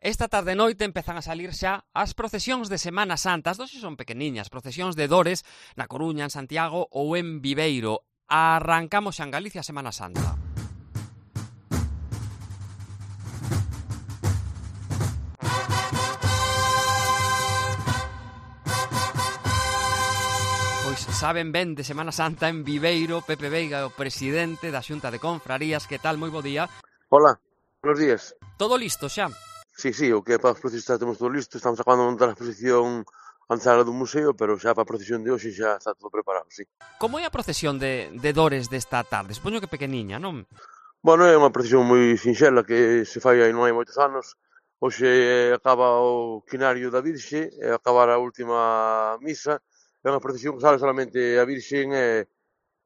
Esta tarde e noite empezan a salir xa as procesións de Semana Santa. As dosis son pequeniñas, procesións de Dores na Coruña, en Santiago ou en Viveiro. Arrancamos xa en Galicia a Semana Santa. Pois saben ben de Semana Santa en Viveiro. Pepe Veiga, o presidente da Xunta de Confrarías. Que tal? Moi bo día. Hola, buenos días. Todo listo xa? Sí, o que é para os procesistas temos todo listo. Estamos acabando de montar a exposición na sala do museo, pero xa para a procesión de hoxe xa está todo preparado, sí. Como é a procesión de Dores desta tarde? Supoño que pequeniña, non? Bueno, é unha procesión moi sinxela que se fai aí non hai moitos anos. Hoxe acaba o quinario da Virxe, e acabar a última misa. É unha procesión que sale solamente a Virxen e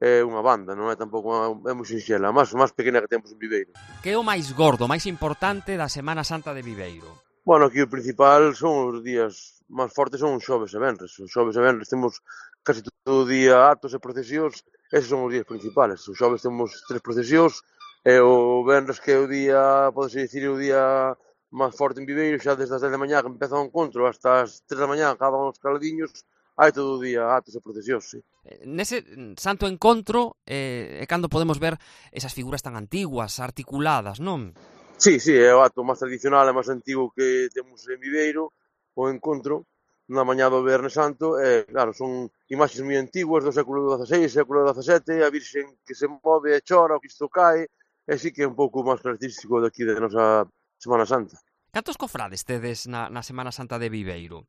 unha banda, non é tampouco é moi sinxela, a máis pequena que temos en Viveiro. Que é o máis gordo, máis importante da Semana Santa de Viveiro? Bueno, aquí o principal son os días máis fortes, son os xoves e venres. Os xoves e venres temos casi todo o día actos e procesións, eses son os días principales. Os xoves temos 3 procesións, e o venres, que é o día, podese dicir, o día máis forte en Viveiro, xa desde as 10 da mañá que empeza o encontro hasta as 3 da mañá acaban os caladiños, hai todo o día actos e procesións, sí. Nese santo encontro é cando podemos ver esas figuras tan antiguas, articuladas, non? Sí, é o acto máis tradicional e máis antigo que temos en Viveiro, o encontro na mañá do Viernes Santo, e claro, son imaxes moi antiguas do século XVI, século XVII, a Virxen que se move e chora, o Cristo cae, e sí que é un pouco máis característico daqui da nosa Semana Santa. Cantos cofrades tedes na Semana Santa de Viveiro?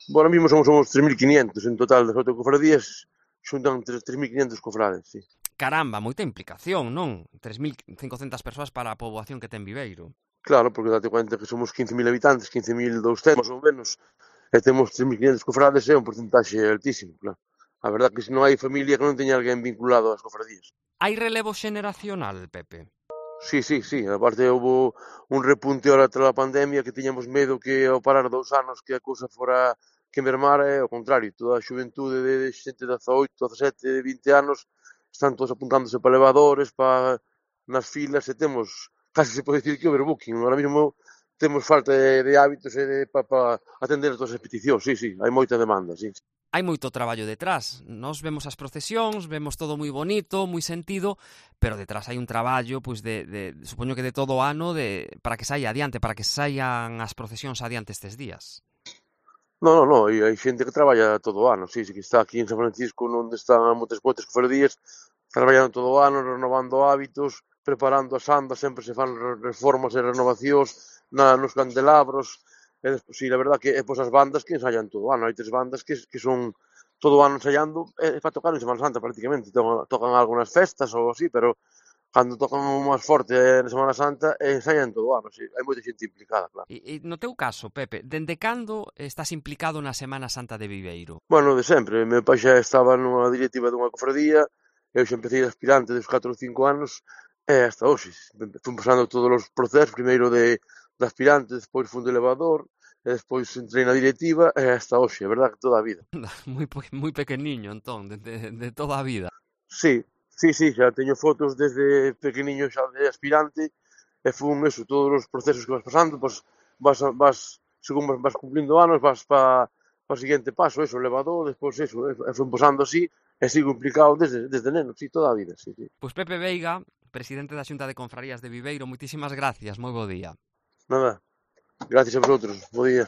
Bueno, ahora mismo somos 3.500 en total das 8 cofradías, xuntan 3.500 cofrades, sí. Caramba, moita implicación, non? 3.500 persoas para a poboación que ten Viveiro. Claro, porque date cuenta que somos 15.000 habitantes, 15.200 máis ou menos, e temos 3.500 cofrades, é un porcentaxe altísimo, claro. A verdad que se non hai familia que non teña alguén vinculado ás cofradías. Hai relevo xeneracional, Pepe? Sí. Aparte, houve un repunte ahora tras a pandemia que tiñamos medo que ao parar 2 anos que a cousa fora que mermara, e ao contrario, toda a xuventude de xente de 18, 17, 20 anos están todos apuntándose para elevadores, para nas filas, e temos, casi se pode dicir que overbooking. Ahora mesmo temos falta de hábitos e para atender todas as peticións, sí, hai moita demanda, sí. Hai moito traballo detrás. Nos vemos as procesións, vemos todo moi bonito, moi sentido, pero detrás hai un traballo, pois supoño que de todo o ano, para que saia adiante, para que saian as procesións adiante estes días. Non, hai xente que traballa todo o ano, sí, que está aquí en San Francisco, onde están moitas cofradías, traballando todo o ano, renovando hábitos, preparando as andas, sempre se fan reformas e renovacións nos candelabros. Sí, a verdad que as bandas que ensayan todo o ano. Hai 3 bandas que son todo o ano ensayando para tocar en Semana Santa prácticamente. Tocan algo nas festas ou así, pero cando tocan o máis forte na Semana Santa ensayan todo o ano. Sí, hai moita xente implicada, claro. E no teu caso, Pepe, dende cando estás implicado na Semana Santa de Viveiro? Bueno, de sempre. Meu pai xa estaba nunha directiva dunha cofradía, eu xa empecé de aspirante dos 4 ou 5 anos, e hasta hoxe. Fui pasando todos os procesos, primeiro de aspirante, despois fui de elevador, e despois entrei na directiva, e hasta hoxe, a verdad que toda a vida. Moi pequeniño, entón, de toda a vida. Sí, xa teño fotos desde pequeniño xa de aspirante, e fun eso, todos os procesos que vas pasando, pois según vas cumplindo anos, vas para o seguinte paso, eso, elevador, despois eso, e fun pasando así, e sigo implicado desde neno, sí, toda a vida, sí. Pois Pepe Veiga, presidente da Xunta de Confrarías de Viveiro, moitísimas gracias, moi bo día. Nada, gracias a vosotros, bo día.